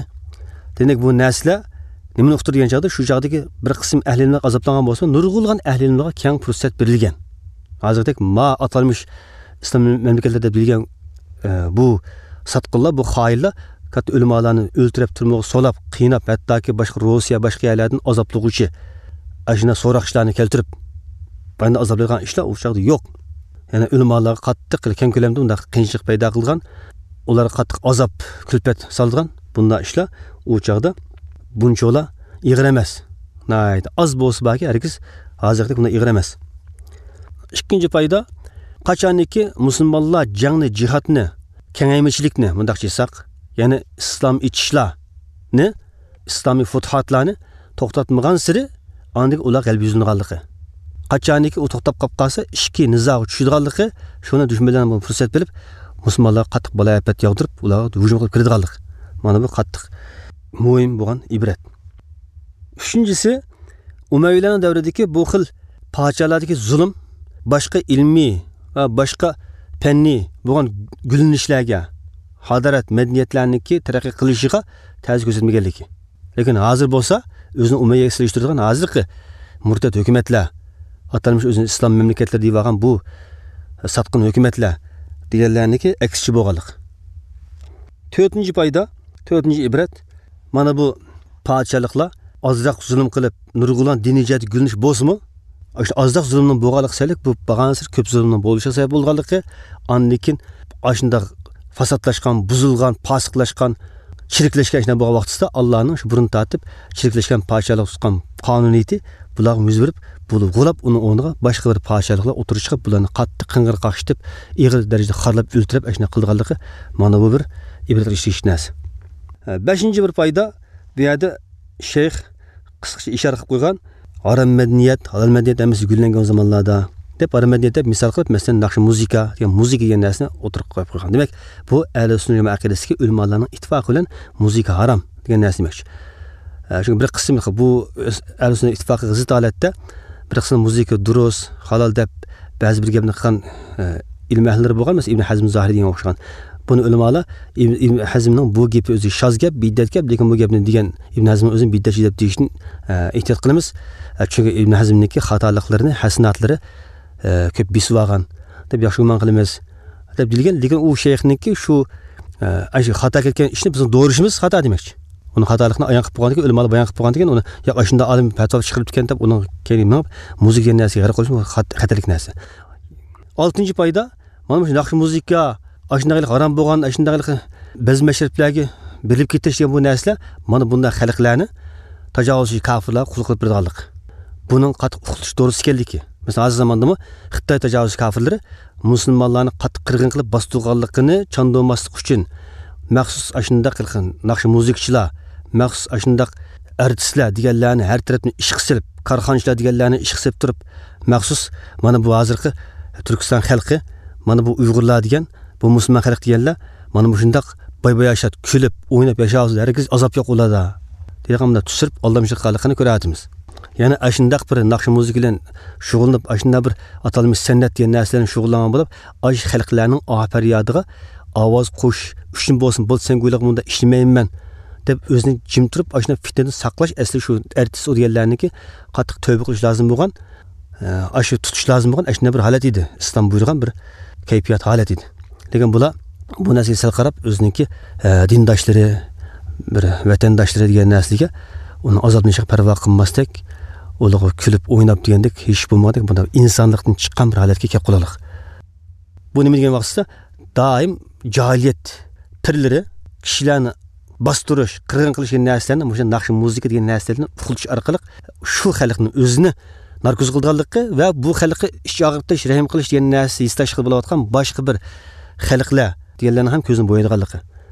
دېمەك، بۇ نەرسىلەر نېمىنى ئۇقتۇرىدۇ دېگەن چاغدا، شۇ چاغدىكى بىر قىسىم ئەھلى ئىلىملەر ئازابلانغان بولسىمۇ، نۇرغۇنلىغان ئەھلى ئىلىملارغا كەڭ پۇرسەت بېرىلگەن. ھازىردەك ما ئاتالمىش ئىسلام مەملىكەتلىرىدە بىلگەن، ئە، بۇ ساتقىنلار، بۇ خائىنلار كاتتا ئۆلىمالارنى ئۆلتۈرۈپ، تۈرمىگە سولاپ، قىيناپ، ھەتتاكى باشقا روسىيە، باشقا يەرلەردىن ئازابلىغۇچى ئاشۇنداق سوراقچىلارنى كەلتۈرۈپ، بۇنداق ئازابلايدىغان ئىشلار ئۇ چاغدا يوق. يەنى ئۆلىمالارغا قاتتىق كەڭ كۆلەمدە بۇنداق قىيىنچىلىق پەيدا قىلغان، ئۇلارغا قاتتىق ئازاب، كۈلپەت سالىدىغان بۇنداق ئىشلار ئۇ چاغدا بۇنچىۋالا ئېغىر ئەمەس. ناھايىتى ئاز بولسا باركى، ھەرگىز ھازىرقىدەك بۇنداق ئېغىر ئەمەس. ئىككىنچى پايدا، قاچانكى مۇسۇلمانلار جەڭنى، جىھادنى، كېڭەيمىچىلىكنى، مۇنداقچە ئېيتساق، يەنى ئىسلام ئېچىشلارنى، ئىسلامىي فۇتۇھاتلارنى توختاتمىغانسېرى، ئاندىن ئۇلار غەلىبە يۈزلىنىدىغانلىقى. قاچانكى ئۇ توختاپ قاپ قالسا، ئىچكى نىزاغا چۈشىدىغانلىقى، شۇنى دۈشمەنلەرنىڭ بۇ پۇرسەت بىلىپ، مۇسۇلمانلارغا قاتتىق بالايىئاپەت ياغدۇرۇپ، ئۇلارغا ھۇجۇم قىلىپ كىرىدىغانلىقى. مانا بۇ قاتتىق مۇھىم بولغان ئىبرەت. ئۈچىنچىسى، ئۇمەۋىيلەرنىڭ دەۋرىدىكى بۇ خىل پادىشاھلاردىكى زۇلۇم باشقا ئىلمىي ۋە باشقا پەننىي بولغان گۈللىنىشلەرگە، ھادارەت، مەدەنىيەتلەرنىڭكى تەرەققىي قىلىشىغا تەسىر كۆرسەتمىگەنلىكى. لېكىن ھازىر بولسا، ئۆزىنى ئۇمەييەگە سېلىشتۇرىدىغان ھازىرقى مۇرتەت ھۆكۈمەتلەر، ئاتالمىش ئۆزىنى ئىسلام مەملىكەتلىرى دەۋالغان بۇ ساتقىن ھۆكۈمەتلەر دېگەنلەرنىڭكى ئەكسىچە بولغانلىق. تۆتىنچى پايدا، تۆتىنچى ئىبرەت، مانا بۇ پادىشاھلىقلار ئازراق زۇلۇم قىلىپ، نۇرغۇنلىغان دىنىي جەھەتتە گۈللىنىش بولسىمۇ، ئاشۇ ئازراق زۇلۇمنىڭ بولغانلىقى سەۋەبلىك بۇ بارغانسېرى كۆپ زۇلۇمنىڭ بولۇشىغا سەۋەب بولغانلىقى، ئاندىن كېيىن ئاشۇنداق فاسادلاشقان، بۇزۇلغان، پاسىقلاشقان، چىرىكلەشكەن ئىشلار بولغان ۋاقتىسىدا، ئاللانىڭ شۇ بۇرۇن تارتىپ چىرىكلەشكەن پادىشاھلىق تۇتقان قانۇنىيىتى بۇلارغا يۈز بېرىپ، بۇلار غۇلاپ، ئۇنىڭ ئورنىغا باشقا بىر پادىشاھلىقلار ئوتتۇرىغا چىقىپ، بۇلارنى قاتتىق قىڭغىر قاقشىتىپ، ئېغىر دەرىجىدە خارلاپ، ئۆلتۈرۈپ، ئاشۇنداق قىلغانلىقى، مانا بۇ بىر ئىبرەتكە تېگىشلىك نەرسە. بەشىنچى بىر پايدا، بۇ يەردە شەيخ قىسقىچە ئىشارە قىلىپ قويغان، ھارام مەدەنىيەت، ھالال مەدەنىيەت ھەممىسى گۈللەنگەن زامانلاردا، دەپ، ھارام مەدەنىيەت دەپ مىسال قىلىپ، مەسىلەن، ناخشا، مۇزىكا دېگەن، مۇزىكا دېگەن نەرسىنى ئوتتۇرىغا قويۇپ قويغان. دېمەك، بۇ ئەھلى سۈننە جامائە ئەقىدىسىدىكى ئۆلىمالارنىڭ ئىتتىپاقى بىلەن مۇزىكا ھارام دېگەن نەرسە دېمەكچى. ئە، چۈنكى بىر قىسىم بۇ ئەھلى سۈننە ئىتتىپاقىغا زىت ھالەتتە بىر قىسىم مۇزىكا دۇرۇس، ھالال دەپ بەزى بىر گەپنى قىلغان، ئە، ئىلىم ئەھلىلىرى بولغان، مەسىلەن، ئىبن ھەزم زاھىرىي دېگەنگە ئوخشىغان. بۇنى ئۆلىمالار ئىبن، ئىبن ھەزمنىڭ بۇ گېپى ئۆزى شاز گەپ، بىدئەت گەپ، لېكىن بۇ گەپنى دېگەن ئىبن ھەزم ئۆزىنى بىدئەتچى دەپ دېيىشتىن، ئە، ئېھتىيات قىلىمىز. ئە، چۈنكى ئىبن ھەزمنىڭكى خاتالىقلىرىنى، ھەسەناتلىرى، ئە، كۆپ بېسىۋالغان دەپ ياخشى گۇمان قىلىمىز دەپ دېيىلگەن. لېكىن ئۇ شەيخنىڭكى شۇ، ئە، ئاشۇ خاتا كەتكەن ئىشنى بىزنىڭ دورىشىمىز خاتا دېمەكچى. ئۇنىڭ خاتالىقىنى ئايان قىلىپ قويغاندىكىن، ئۆلىمالار بايان قىلىپ قويغاندىكىن، ئۇنى ياق، ئاشۇنداق ئالىم پەتىۋا چىقىرىپتىكەن دەپ ئۇنىڭ كەينىگە مېڭىپ، مۇزىكا دېگەن نەرسىگە غەرق قويۇش، بۇ خەت-، خەتەرلىك نەرسە. ئالتىنچى پايدا، مانا مۇشۇ ناخشا مۇزىكا، ئاشۇنداق ھارام بولغان، ئاشۇنداق بەز مەشرەپلەرگە بېرىلىپ كېتىش دېگەن بۇ نەرسىلەر، مانا بۇنداق خەلقلەرنى تاجاۋۇزچى كافىرلارغا قۇل قىلىپ بېرىدىغانلىق. بۇنىڭ قاتتىق ئۇقتۇرۇش دورىسى ئىكەنلىكى. مەسىلەن، ھازىر زاماندىمۇ خىتاي تاجاۋۇزچى كافىرلىرى مۇسۇلمانلارنى قاتتىق قىرغىن قىلىپ باستۇرغانلىقىنى چاندۇرماسلىق ئۈچۈن، مەخسۇس ئاشۇنداق قىلغان ناخشا مۇزىكىچىلار، مەخسۇس ئاشۇنداق ئارتىسلار دېگەنلەرنى ھەر تەرەپتىن ئىشقا سېلىپ، كارخانىچىلار دېگەنلەرنى ئىشقا سېلىپ تۇرۇپ، مەخسۇس مانا بۇ ھازىرقى تۈركىستان خەلقى، مانا بۇ ئۇيغۇرلار دېگەن، بۇ مۇسۇلمان خەلق دېگەنلەر مانا مۇشۇنداق باي-باياشات كۈلۈپ، ئويناپ ياشاۋاتىدۇ، ھەرگىز ئازاب يوق ئۇلاردا دېگەن مۇنداق تۈسۈرۈپ، ئالدامچىلىق قىلغانلىقىنى كۆرۈۋاتىمىز. يەنى ئاشۇنداق بىر ناخشا مۇزىكا بىلەن شۇغۇللىنىپ، ئاشۇنداق بىر ئاتالمىش سەنئەت دېگەن نەرسىلەرنى شۇغۇللانغان بولۇپ، ئاشۇ خەلقلەرنىڭ ئاھ پەريادىغا ئاۋاز قوشۇش ئۈچۈن بولسۇن، بولدى، سەن گۇيلۇق مۇنداق ئىشلىمەيمەن دەپ ئۆزىنى جىم تۇرۇپ، ئاشۇنداق پىتنىدىن ساقلاش، ئەسلى شۇ ئارتىس ئۇ دېگەنلەرنىڭكى قاتتىق تەۋبە قىلىش لازىم بولغان، ئە، ئاشۇ تۇتۇش لازىم بولغان ئاشۇنداق بىر ھالەت ئىدى. ئىسلام بۇيرۇغان بىر كەيپىيات ھالەت ئىدى. لېكىن بۇلار بۇ نەرسىگە سەل قاراپ، ئۆزىنىڭكى، ئە، دىنداشلىرى، بىر ۋەتەنداشلىرى دېگەن نەرسىگە ئۇنىڭ ئازابلىنىشىغا پەرۋا قىلماستەك، ئۇلارغا كۈلۈپ، ئويناپ دېگەندەك ھېچ بولمىغاندەك، بۇنداق ئىنسانلىقتىن چىققان بىر ھالەتكە كەپ قالارلىق. بۇ نېمە دېگەن ۋاقتىدا، دائىم جاھىلىيەت پىرلىرى كىشىلەرنى باستۇرۇش، قىرغىن قىلىش دېگەن نەرسىلەرنى، مۇشۇ ناخشا مۇزىكا دېگەن نەرسىلەرنى ئۇخلىتىش ئارقىلىق شۇ خەلقنى ئۆزىنى ناركوز قىلىدىغانلىقى ۋە بۇ خەلققە ئىچ ئاغرىتىش، رەھىم قىلىش دېگەن نەرسە ھېسداشلىقى بولۇۋاتقان باشقا بىر خەلقلەر دېگەنلەرنىڭ ھەم كۆزىنى بويايدىغانلىقى.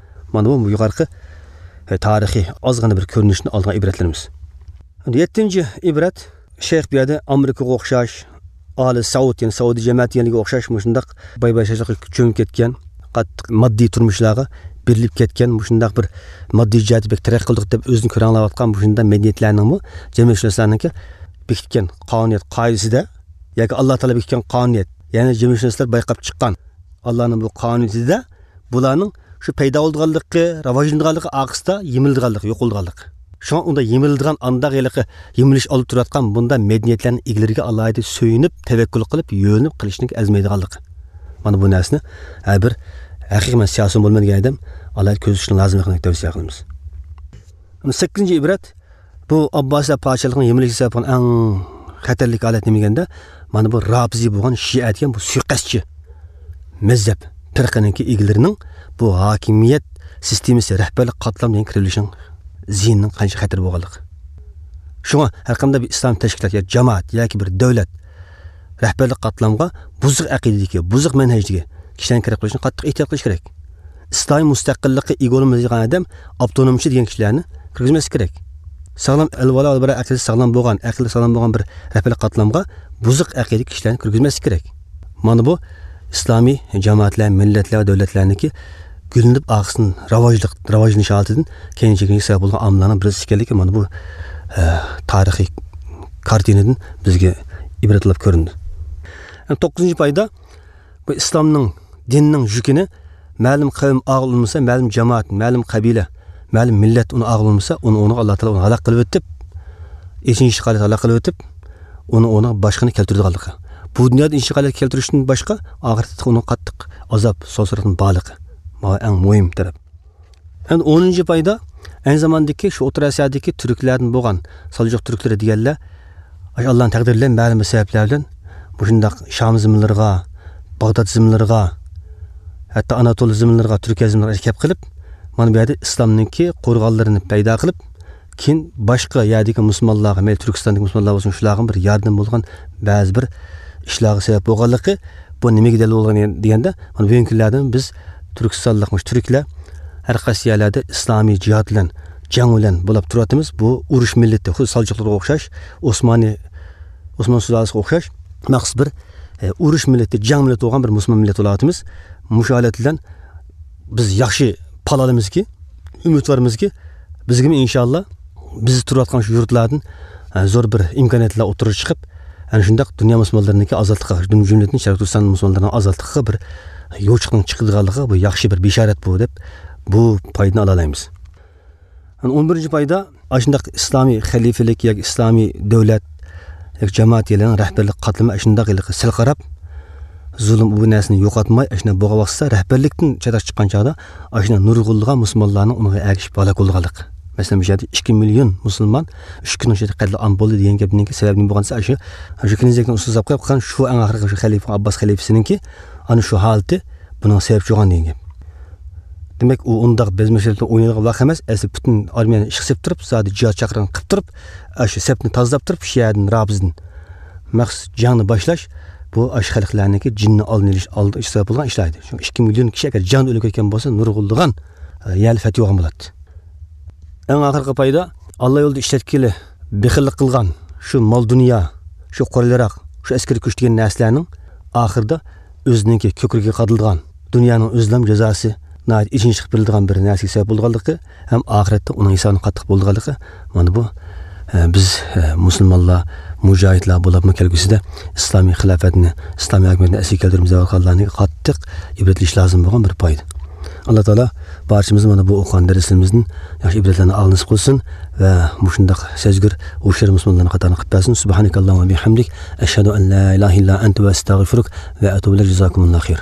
مانا بۇ يۇقىرىقى، ئە، تارىخىي ئازغىنا بىر كۆرۈنۈشتىن ئالغان ئىبرەتلىرىمىز. ئەمدى يەتتىنچى ئىبرەت، شەيخ بۇ يەردە ئامېرىكىغا ئوخشاش، ئالى سەئۇد، يەنى سەئۇدى جەمەتى دېگەنلىكىگە ئوخشاش مۇشۇنداق باي-باياشاتلىققا چۆمۈپ كەتكەن، قاتتىق ماددىي تۇرمۇشلارغا بېرىلىپ كەتكەن، مۇشۇنداق بىر ماددىي جەھەتتە بەك تەرەققىي قىلدۇق دەپ ئۆزىنى كۆرەڭلەۋاتقان مۇشۇنداق مەدەنىيەتلەرنىڭمۇ جەمئىيەتشۇناسلارنىڭكى بېكىتكەن قانۇنىيەت قائىدىسىدە ياكى ئاللا تائالا بېكىتكەن قانۇنىيەت، يەنى جەمئىيەتشۇناسلار بايقاپ چىققان ئاللانىڭ بۇ قانۇنىيىتىدە بۇلارنىڭ شۇ پەيدا بولىدىغانلىقى، راۋاجلىنىدىغانلىقى ئارقىسىدا يېمىلىدىغانلىقى، يوق بولىدىغانلىقى. شۇڭا ئۇنداق يېمىلىدىغان، ئانداق ھېلىقى يېمىلىش ئالدىدا تۇرۇۋاتقان بۇنداق مەدەنىيەتلەرنىڭ ئىگىلىرىگە ئالاھىدە سۆيۈنۈپ، تەۋەككۈل قىلىپ، يۆلىنىپ قىلىشنىڭ ئەرزىمەيدىغانلىقى. مانا بۇ نەرسىنى ھەر بىر ھەقىقىي مەن سىياسىيون بولىمەن دېگەن ئادەم ئالاھىدە كۆزىتىشنىڭ لازىملىقىنى تەۋسىيە قىلىمىز. سەككىزىنچى ئىبرەت، بۇ ئابباسىيلار پادىشاھلىقىنىڭ يېمىلىشىگە سەۋەب بولغان ئەڭ خەتەرلىك ھالەت نېمە دېگەندە، مانا بۇ رافىزىي بولغان شىئە دېگەن بۇ سۇيىقەستچى مەزھەپ پىرقىنىڭكى ئىگىلىرىنىڭ بۇ ھاكىمىيەت سىستېمىسى، رەھبەرلىك قاتلام دېگەن كىرىۋېلىشىنىڭ زىيىنىنىڭ قانچە خەتەر بولغانلىقى. شۇڭا ھەرقانداق بىر ئىسلام تەشكىلات يا جامائەت ياكى بىر دۆلەت رەھبەرلىك قاتلامغا بۇزۇق ئەقىدىدىكى، بۇزۇق مەنھەجدىكى كىشىلەرنى كىرىپ قېلىشنى قاتتىق ئېھتىيات قىلىش كېرەك. ئىسلامىي مۇستەقىللىققا ئىگە بولىمىز دېگەن ئادەم ئاپتونومچى دېگەن كىشىلەرنى كىرگۈزمەسلىك كېرەك. ساغلام ئەلۋالا ئەلبىرا ئەقىدىسى ساغلام بولغان، ئەقلى ساغلام بولغان بىر رەھبەرلىك قاتلامغا بۇزۇق ئەقىدىدىكى كىشىلەرنى كىرگۈزمەسلىك كېرەك. مانا بۇ ئىسلامىي جامائەتلەر، مىللەتلەر ۋە دۆلەتلەرنىڭكى گۈللىنىپ ئارقىسىدىن راۋاجلىق، راۋاجلىنىش ھالىتىدىن كەينىگە چېكىنىشكە سەۋەب بولغان ئامىللارنىڭ بىرسى ئىكەنلىكى مانا بۇ، ئە، تارىخىي كارتىنىدىن بىزگە ئىبرەت بولۇپ كۆرۈندى. يەنى توققۇزىنچى پايدا، بۇ ئىسلامنىڭ، دىننىڭ يۈكىنى مەلۇم قەۋم ئاغىلى بولمىسا، مەلۇم جامائەت، مەلۇم قەبىلە، مەلۇم مىللەت ئۇنى ئاغىلى بولمىسا، ئۇنى، ئۇنىڭغا ئاللا تائالا ئۇنى ھالاك قىلىۋېتىپ، ئېچىنىشلىق ھالەتتە ھالاك قىلىۋېتىپ، ئۇنى، ئۇنىڭ باشقىنى كەلتۈرىدىغانلىقى. بۇ دۇنيادا ئېچىنىشلىق ھالەتكە كەلتۈرۈشتىن باشقا، ئاخىرەتتە ئۇنىڭ قاتتىق ئازاب، سوسۇرلۇقنىڭ بارلىقى. مانا ئەڭ مۇھىم تەرەپ. ئەمدى ئونىنچى پايدا، ئەينى زاماندىكى شۇ ئوتتۇرا ئاسىيادىكى تۈركلەردىن بولغان سالجۇق تۈركلىرى دېگەنلەر، ئاشۇ ئاللانىڭ تەقدىرى بىلەن مەلۇم بىر سەۋەبلەر بىلەن مۇشۇنداق شام زېمىنلىرىغا، باغداد زېمىنلىرىغا، ھەتتا ئاناتول زېمىنلىرىغا، تۈركىيە زېمىنلىرىغا كەپ قېلىپ، مانا بۇ يەردە ئىسلامنىڭكى قورغانلىرىنى پەيدا قىلىپ، كېيىن باشقا يەردىكى مۇسۇلمانلارغا، مەيلى تۈركىستاندىكى مۇسۇلمانلار بولسۇن، شۇلارغا بىر ياردىمى بولغان بەزى بىر ئىشلارغا سەۋەب بولغانلىقى، بۇ نېمىگە دەلىل بولغان دېگەندە، مانا بۈگۈنكى كۈنلەردىمۇ بىز تۈركىستانلىق، مۇشۇ تۈركلەر ھەر قايسى يەرلەردە ئىسلامىي جىھاد بىلەن، جەڭ بىلەن بولۇپ تۇرۇۋاتىمىز. بۇ ئۇرۇش مىللىتى، خۇددى سالجۇقلارغا ئوخشاش، ئوسمانى، ئوسمان سۇلالىسىغا ئوخشاش مەخسۇس بىر ئۇرۇش مىللىتى، جەڭ مىللىتى بولغان بىر مۇسۇلمان مىللەت بولۇۋاتىمىز. مۇشۇ ھالەت بىلەن بىز ياخشى پالالىمىزكى، ئۈمىدۋارمىزكى، بىزگىمۇ ئىنشاللا بىز تۇرۇۋاتقان شۇ يۇرتلاردىن، ئە، زور بىر ئىمكانىيەتلەر ئوتتۇرىغا چىقىپ، ئەنە شۇنداق دۇنيا مۇسۇلمانلىرىنىڭكى ئازادلىقىغا، جۈم-، جۈملىدىن شەرقىي تۈركىستان مۇسۇلمانلىرىنىڭ ئازادلىقىغا بىر يوچۇقنىڭ چىقىدىغانلىقىغا بۇ ياخشى بىر بېشارەت بۇ دەپ، بۇ پايدىنى ئالالايمىز. ئەنە ئون بىرىنچى پايدا، ئاشۇنداق ئىسلامىي خەلىپىلىك ياكى ئىسلامىي دۆلەت ياكى جامائەت يەرلىرىنىڭ رەھبەرلىك قاتلىمى ئاشۇنداق ھېلىقى سەل قاراپ، زۇلۇم بۇ نەرسىنى يوقاتماي، ئاشۇنداق بولغان ۋاقىتتا رەھبەرلىكتىن چەتكە چىققان چاغدا ئاشۇنداق نۇرغۇنلىغان مۇسۇلمانلارنىڭ ئۇنىڭغا ئەگىشىپ ھالاك بولىدىغانلىقى. مەسىلەن، بۇ يەردە ئىككى مىليون مۇسۇلمان ئۈچ كۈننىڭ ئىچىدە قەتلىئام بولدى دېگەن گەپنىڭكى سەۋەبى نېمە بولغان دېسە، ئاشۇ، ئاشۇ كېنىزەكنىڭ ئۈستىگە ساپ قويۇپ قالغان شۇ ئەڭ ئاخىرقى شۇ خەلىپە ئابباس خەلىپىسىنىڭكى ئانا شۇ ھالىتى بۇنىڭ سەۋەبچى بولغان دېگەن گەپ. دېمەك، ئۇ ئۇنداق بەزمە شەرتتە ئوينايدىغان ۋاقىت ئەمەس، ئەسلى پۈتۈن ئارمىيەنى ئىشقا سېلىپ تۇرۇپ، زادى جىھاد چاقىرىقىنى قىلىپ تۇرۇپ، ئاشۇ سەپنى تازىلاپ تۇرۇپ، شىئەدىن، رابىزدىن مەخسۇس جەڭنى باشلاش، بۇ ئاشۇ خەلقلەرنىڭكى جېنىنى ئالدىنى ئېلىش، ئالدىن ئېلىش سەۋەب بولغان ئىشلار ئىدى. شۇڭا ئىككى مىليون كىشى ئەگەر جەڭدە ئۆلۈپ كەتكەن بولسا، نۇرغۇنلىغان، ئە، يەرلىك فەتھى بولغان بولاتتى. ئەڭ ئاخىرقى پايدا، ئاللا يولىدا ئىشلەتكىلى بېخىللىق قىلغان شۇ مال-دۇنيا، شۇ قورال-ياراغ، شۇ ئەسكىرىي كۈچ دېگەن نەرسىلەرنىڭ ئاخىرىدا ئۆزىنىڭكى كۆكرىكىگە قادىلىدىغان دۇنيانىڭ ئۆزىنىڭ جازاسى ناھايىتى ئېچىنىشلىق بېرىلىدىغان بىر نەرسىگە سەۋەب بولىدىغانلىقى ھەم ئاخىرەتتە ئۇنىڭ ھېسابىنىڭ قاتتىق بولىدىغانلىقى، مانا بۇ، ئە، بىز، ئە، مۇسۇلمانلار، مۇجاھىدلار بولۇپمۇ كەلگۈسىدە ئىسلامىي خىلاپەتنى، ئىسلامىي ھاكىمىيەتنى ئەسلىگە كەلتۈرۈمىز دەۋاتقانلارنى قاتتىق ئىبرەت ئېلىش لازىم بولغان بىر پايدا. ئاللا تائالا بارچىمىزنى مانا بۇ ئوقۇغان دەرسلىرىمىزدىن ياخشى ئىبرەتلەرنى ئالغىلى نېسىپ قىلسۇن ۋە مۇشۇنداق سەزگۈر، ھوشيار مۇسۇلمانلارنىڭ قاتارىنى قىلىپ بەرسۇن. سۇبھانەكەللاھۇممە ۋە بىھەمدىك، ئەشھەدۇ ئەن لا ئىلاھە ئىللا ئەنتە ۋە ئەستەغفىرۇك ۋە ئەتۇبۇ ئىلەيك. جازاكۇمۇللاھۇ خەير.